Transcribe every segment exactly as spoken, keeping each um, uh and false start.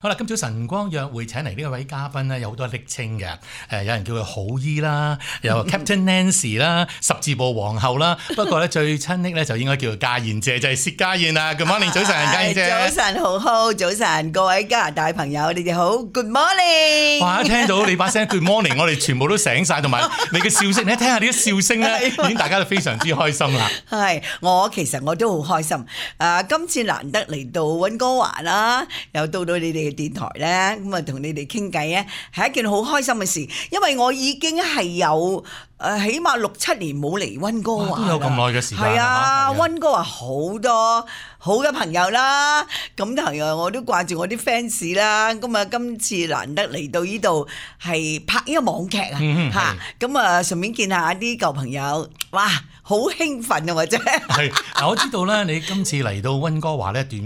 好啦，今早晨光約會請嚟呢位嘉賓咧，有好多昵稱嘅，誒，有人叫佢好姨啦，有 Captain Nancy 啦，十字步皇后啦，不過咧最親昵咧就應該叫做家燕姐，就係薛家燕啦。Good morning， 早晨，家燕姐。早晨，好好，早晨，各位加拿大朋友，你哋好 ，Good morning。哇！一聽到你把聲 Good morning， 我哋全部都醒晒，同埋你嘅笑聲，你睇下你啲笑聲咧，已經大家都非常之開心啦。係，我其實我都好開心。誒，今次難得嚟到溫哥華啦，又到到你哋電台咧，咁啊同你哋傾偈咧，係一件好開心嘅事，因為我已經係有誒起碼六七年冇嚟溫哥華，都有咁耐嘅時間。係啊，溫哥華好多好嘅朋友啦，咁同樣我都掛住我啲 fans 啦，咁啊今次難得嚟到呢度係拍呢個網劇啊，嚇，咁啊順便見下啲舊朋友，哇！好興奮啊！或者係嗱，我知道咧，你今次嚟到溫哥華咧，短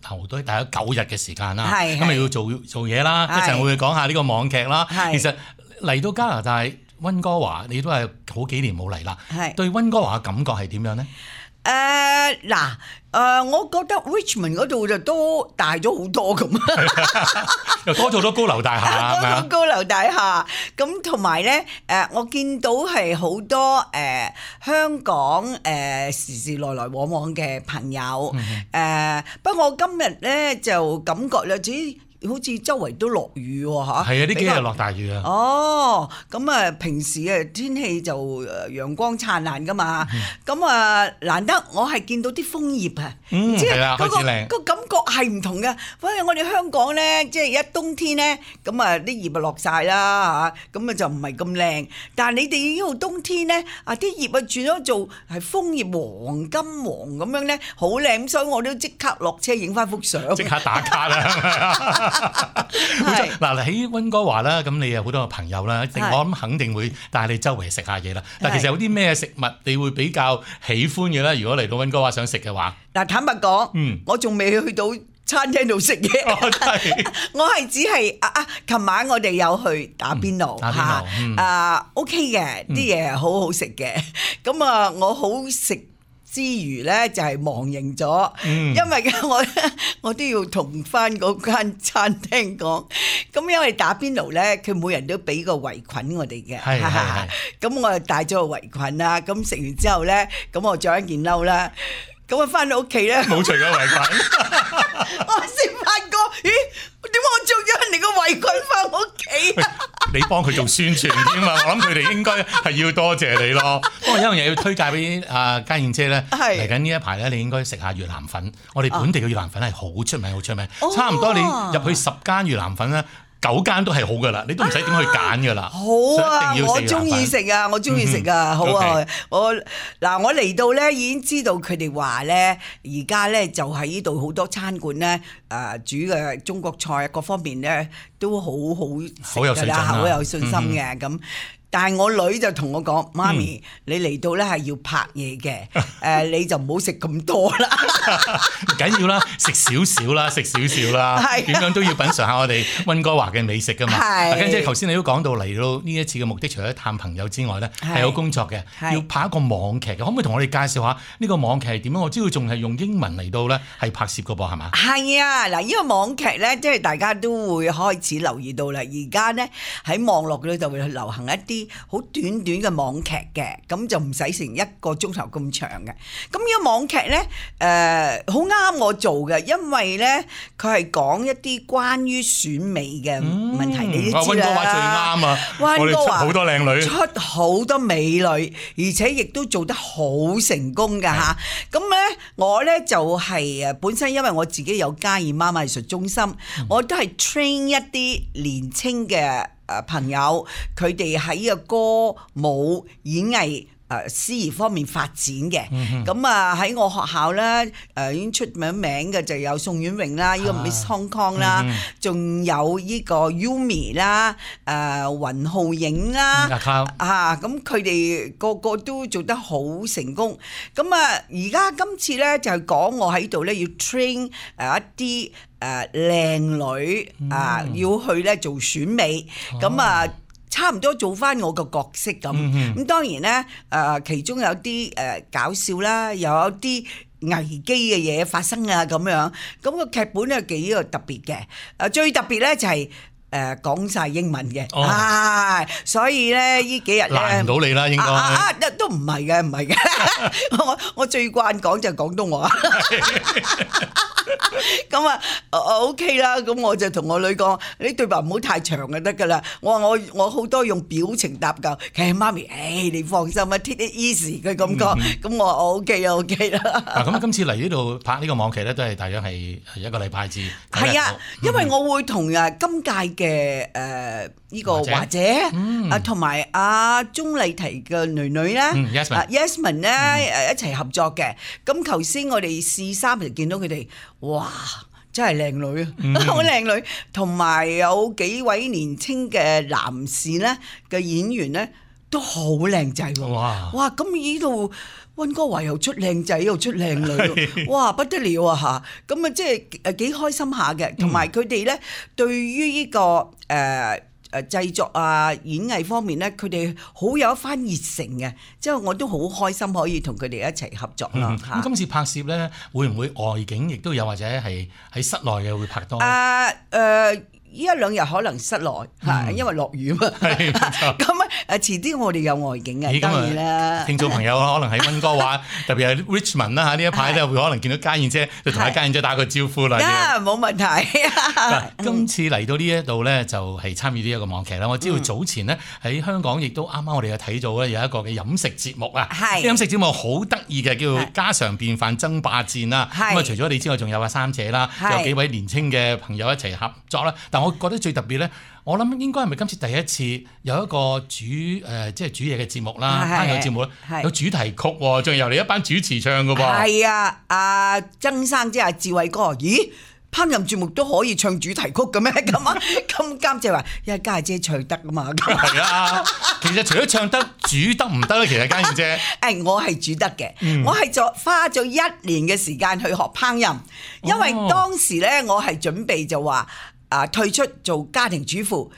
頭都大概九日嘅時間啦，咁咪要做做嘢啦，一陣會講下呢個網劇啦。其實嚟到加拿大溫哥華，你都係好幾年冇嚟啦，對溫哥華嘅感覺係點樣咧？誒嗱，誒、呃，我覺得 Richmond 嗰度就都大咗好多咁，又多咗好多高樓大廈，多咗高樓大廈，咁同埋咧，誒，我見到係好多誒、呃、香港誒、呃、時時來來往往嘅朋友，誒、嗯呃，不過我今日咧就感覺咧，只好似周圍都落雨喎，嚇！係啊，呢幾日落大雨啊！哦，咁啊，平時嘅天氣就誒陽光燦爛噶嘛，咁啊難得我係見到啲楓葉啊，即係嗰個個感覺係唔同嘅。反正我哋香港咧，即係一冬天咧，咁啊啲葉啊落曬啦嚇，咁啊就唔係咁靚。但係你哋呢度冬天咧，啊啲葉啊轉咗做係楓葉黃金黃咁樣咧，好靚，所以我都即刻落車影翻幅相，即刻打卡啦！嗱，喺溫哥華啦，咁你有好多個朋友啦，我諗肯定會帶你周圍食下嘢啦。但其實有啲咩食物你會比較喜歡嘅咧？如果嚟到溫哥華想食嘅話，嗱，坦白講，嗯，我仲未去到餐廳度食嘢，哦、我係只係啊啊！琴晚我哋有去打邊爐嚇，嗯、啊 OK 嘅，啲嘢好好食嘅，咁啊我好食之餘咧就係忘形咗，嗯、因為我我都要同翻嗰間餐廳講，咁因為打邊爐咧，佢每人都俾個圍裙我哋嘅，係係係，咁我就帶咗個圍裙啦，咁食完之後咧，咁我着一件褸啦，咁我翻到屋企咧冇除咗圍裙，我先發覺，咦？點解我着咗人哋個圍裙翻屋企啊？你幫佢做宣傳添嘛？我諗佢哋應該係要多謝你咯。不過有樣嘢要推介俾阿家燕姐咧，嚟緊呢一排咧，你應該食下越南粉。我哋本地嘅越南粉係好出名，好出名。哦、差唔多你入去十間越南粉咧，九間都係好噶啦，你都唔使點去揀噶啦。好啊，我中意食啊，我中意食啊，好啊。我嗱，我嚟到咧已經知道佢哋話咧，而家咧就喺呢度好多餐館咧，誒煮嘅中國菜各方面咧都好好食㗎啦，好有信心嘅咁。但係我女就同我講：媽咪，你嚟到咧係要拍嘢嘅，誒你就唔好食咁多啦。唔緊要啦，食少少啦，食少少啦，點樣都要品嚐下我哋溫哥華嘅美食噶嘛。跟住頭先你都講到嚟到呢一次嘅目的，除咗探朋友之外咧，係有工作嘅，要拍一個網劇嘅。可唔可以同我哋介紹下呢個網劇係點樣？我知道仲係用英文嚟到咧係拍攝噶噃，係嘛？係啊，嗱，呢個網劇咧，即係大家都會開始留意到啦。而家咧喺網絡嗰度就會流行一啲好短短嘅網劇嘅，咁就唔使成一個鐘頭咁長嘅。咁呢個網劇咧，誒好啱我做嘅，因為咧佢係講一啲關於選美嘅問題，嗯、你都知啦。溫哥華最啱啊！溫哥華好多靚女，出好多美女，而且亦都做得好成功㗎嚇。咁咧，我咧就係誒本身因為我自己有家燕媽媽藝術中心，嗯、我都係 train 一啲年青嘅誒朋友，佢哋喺個歌舞演藝誒司儀方面發展嘅。咁啊喺我學校咧誒已經出名名嘅就有宋婉穎啦，呢、這個 Miss Hong Kong 啦，仲、嗯、有呢個 Yumi 啦、誒雲浩影啦嚇，咁佢哋個個都做得好成功。咁啊而家今次咧就係講我喺度咧要 train 誒一啲誒靚女啊、嗯、要去咧做選美，咁啊、哦、差唔多做翻我個角色咁。咁、嗯、當然咧誒其中有啲誒搞笑啦，又有啲危機嘅嘢發生啊咁樣。咁個劇本咧幾個特別嘅，誒最特別咧就係、是。誒講晒英文嘅，係、哦，所以咧呢幾日咧難唔到你啦，應該啊啊啊都唔係嘅，唔係嘅，我我最慣講就係廣東話，咁啊 OK 啦，咁我就同我女講，你對白唔好太長就得㗎啦。我話我我好多用表情答㗎，其實媽咪，誒你放心啊 ，take it easy 嘅感覺，咁、嗯、我話 OK 啊 OK 啦。嗱咁今次嚟呢度拍呢個網劇咧，都係大約係一個禮拜至。係啊，因為我會同誒今屆嘅誒呢個華姐啊，同埋阿鐘麗緹嘅女女咧，Yasmin 咧誒一齊合作嘅。咁頭先我哋試衫就見到佢哋，哇！真係靚女啊，好靚女，同埋有幾位年青嘅男士咧嘅演員咧都好靚仔喎。哇！哇！咁呢度溫哥華又出靚仔又出靚女，哇不得了啊嚇！咁啊即係誒幾開心下嘅，同埋佢哋咧對於呢個誒誒製作啊演藝方面咧，佢哋好有一番熱誠嘅，即係我都好開心可以同佢哋一齊合作啦嚇。咁今次拍攝咧，會唔會外景亦都有，或者係喺室內嘅會拍多？啊誒。呢一兩日可能室內嚇，因為落雨啊嘛。係咁啊誒，遲啲我哋有外景嘅，當然啦。聽眾朋友可能喺溫哥華，特別係 Richmond 啦嚇，呢一排咧會可能見到家燕姐，就同阿家燕姐打個招呼啦。啊，冇問題。今次嚟到呢一度咧，就係參與呢一個網劇啦。我知道早前咧喺香港亦都啱啱我哋有睇到咧有一個嘅飲食節目啊。係。飲食節目好得意嘅，叫家常便飯爭霸戰啦。係。咁啊，除咗你之外，仲有阿三姐啦，有幾位年青嘅朋友一齊合作啦。但我覺得最特別咧，我諗應該係咪今次第一次有一個主誒、呃，即係煮嘢嘅節目啦，烹飪節目咧，有主題曲喎，仲由你一班主持唱㗎噃。係啊，阿曾生即係阿志偉哥，咦？烹飪節目都可以唱主題曲嘅咩？咁啊，咁監製話，因為家姐唱得啊嘛。係啊，其實除咗唱得，煮得唔得咧？其實家燕姐，誒，我係煮得嘅，嗯、我係做花咗一年嘅時間去學烹飪，因為當時咧，我係準備就話。啊！退出做家庭主婦，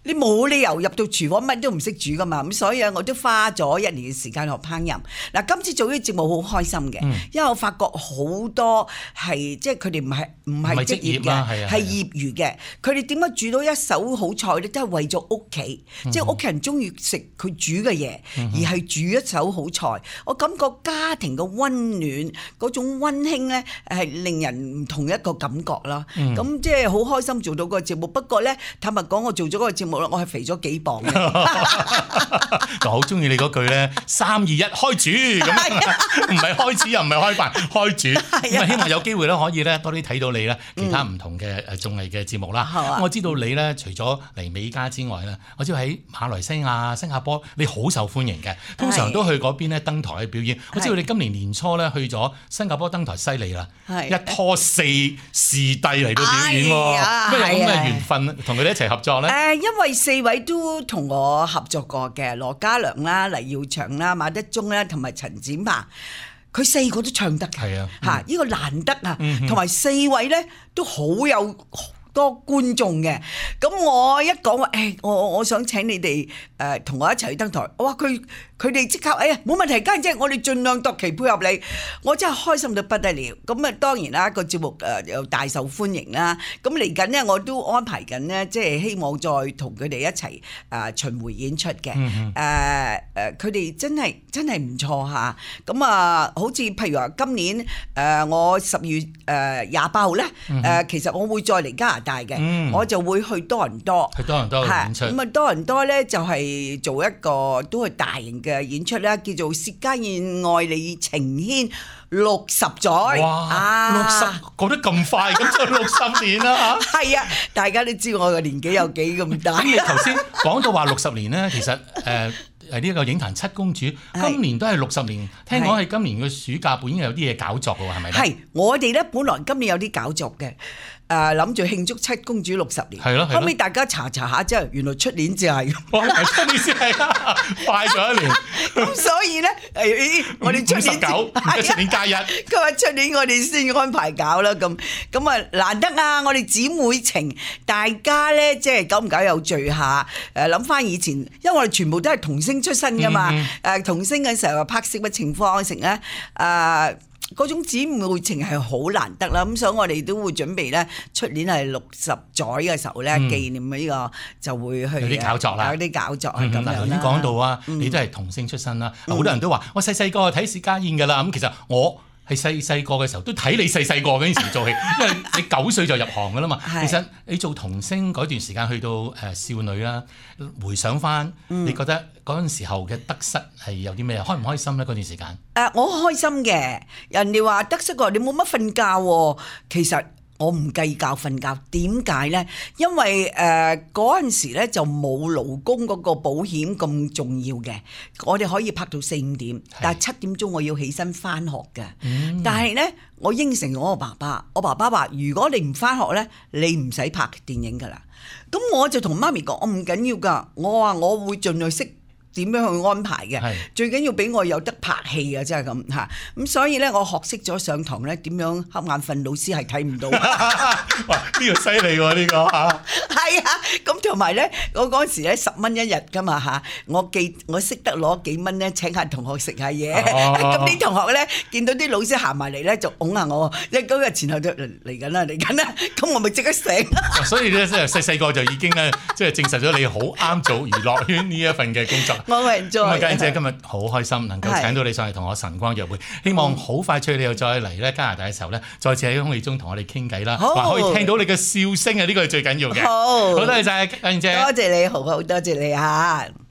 你冇理由入到廚房乜都唔識煮噶嘛，咁所以我都花咗一年嘅時間學烹飪。嗱，今次做呢個節目好開心嘅，嗯、因為我發覺好多係即係佢哋唔係唔係職業嘅，係業餘嘅。佢哋點解煮到一手好菜咧？都係為咗屋企，嗯、即係屋企人中意食佢煮嘅嘢，嗯、而係煮一手好菜。我感覺家庭嘅溫暖嗰種溫馨咧，係令人唔同一個感覺啦。咁、嗯、即係好開心做到個節目。不過咧，坦白講，我做咗嗰個節目。我係肥咗幾磅嘅，就好中意你嗰句咧，三二一開煮咁，唔係開始又唔係開飯，開煮咁啊！希望有機會咧，可以咧多啲睇到你咧，其他唔同嘅誒綜藝嘅節目啦。嗯、我知道你咧，除咗嚟美加之外咧，我知道喺馬來西亞、新加坡，你好受歡迎嘅，通常都去嗰邊咧登台去表演。我知道你今年年初咧去咗新加坡登台，犀利啦，一拖四視帝嚟到表演喎，咩有咁嘅緣分同佢哋一齊合作咧？誒，因為四位都同我合作過嘅，羅嘉良啦、黎耀祥啦、馬德鐘啦，同埋陳展鵬，佢四個都唱得嘅，係啊，嚇！呢個難得啊，同埋四位咧都好有多觀眾嘅。咁我一講話，誒，我我想請你哋誒同我一齊去登台，哇！佢佢哋即刻，哎呀，冇問題，家姐，我哋盡量度期配合你，我真係開心到不得了。咁啊，當然啦，個節目誒又大受歡迎啦。咁嚟緊呢，我都安排緊呢，即係希望再同佢哋一齊誒巡迴演出嘅。誒誒、嗯，佢哋、呃、真係真係唔錯嚇。咁啊，好似譬如話今年誒、呃、我十月誒廿八號咧，誒、嗯呃、其實我會再嚟加拿大嘅，嗯、我就會去多倫多，去多倫多演出。咁啊，多倫多咧就係做一個都係大型嘅演出啦，叫做《薛家燕愛你情牽六十載》。哇！六十過得咁快，咁就六十年啦嚇。係啊，大家都知我嘅年紀有幾咁大。咁你頭先講到話六十年咧，其實誒誒呢一個影壇七公主今年都係六十年。聽講係今年嘅暑假本應有啲嘢搞作嘅喎，係咪咧？係，我哋咧本來今年有啲搞作嘅。誒諗住慶祝七公主六十年，係咯，後尾大家查查下之後，原來出年就係，哇！出年先係啦，快咗一年。咁所以咧，誒，我哋出年十九，出年加一。佢話出年我哋先安排搞啦，咁咁啊難得啊！我哋姊妹情，大家咧即係久唔久又聚下，誒諗翻以前，因為我哋全部都係童星出身噶嘛，誒童星嘅時候拍攝嘅情況成咧，誒。嗰種姊妹情係好難得啦。咁所以我哋都會準備咧，出年係六十載嘅時候咧，紀念呢個就會去有啲搞作啦，有啲搞作係咁樣啦。頭先講到啊，你都係童星出身啦，好多人都話我細細個睇薛家燕㗎啦。咁其實我係細細個嘅時候都睇你細細個嗰陣時做戲，因為你九歲就入行㗎啦嘛。其實你做童星嗰段時間去到誒少女啦，回想翻，你覺得嗰陣時候嘅得失係有啲咩？開唔開心咧？嗰段時間？誒、呃，我開心嘅。人哋話得失個你冇乜瞓覺喎，其實我唔計較瞓覺。點解咧？因為誒嗰陣時咧就冇勞工嗰個保險咁重要嘅，我哋可以拍到四五點，但係七點鐘我要起身翻學嘅。嗯、但係咧，我應承我個爸爸，我爸爸話：如果你唔翻學咧，你唔使拍電影㗎啦。咁我就同媽咪講：我唔緊要㗎，我話我會盡量識點樣去安排嘅，最緊要俾我有得拍戲啊！真係咁嚇，咁所以咧，我學識咗上堂咧點樣瞌眼瞓，老師係睇唔到。哇！呢個犀利喎，呢個嚇。係啊，咁同埋咧，我嗰時咧十蚊一日噶嘛嚇，我記我識得攞幾蚊咧請下同學食下嘢。咁啲同學咧見到啲老師行埋嚟咧就擁下我，一嗰日前後就嚟緊啦嚟緊啦，咁我咪即刻醒。所以咧，即係細細個就已經咧，即係證實咗你好啱做娛樂圈呢一份嘅工作。我係做。咁啊，家燕姐今日好開心能夠請到你上嚟同我晨光約會，希望好快脆你又再嚟咧加拿大嘅時候咧，再次喺空氣中同我哋傾偈啦，話可以聽到你嘅笑聲啊！呢個係最緊要嘅。好，好多謝晒家燕姐，多謝你，好好多謝你嚇。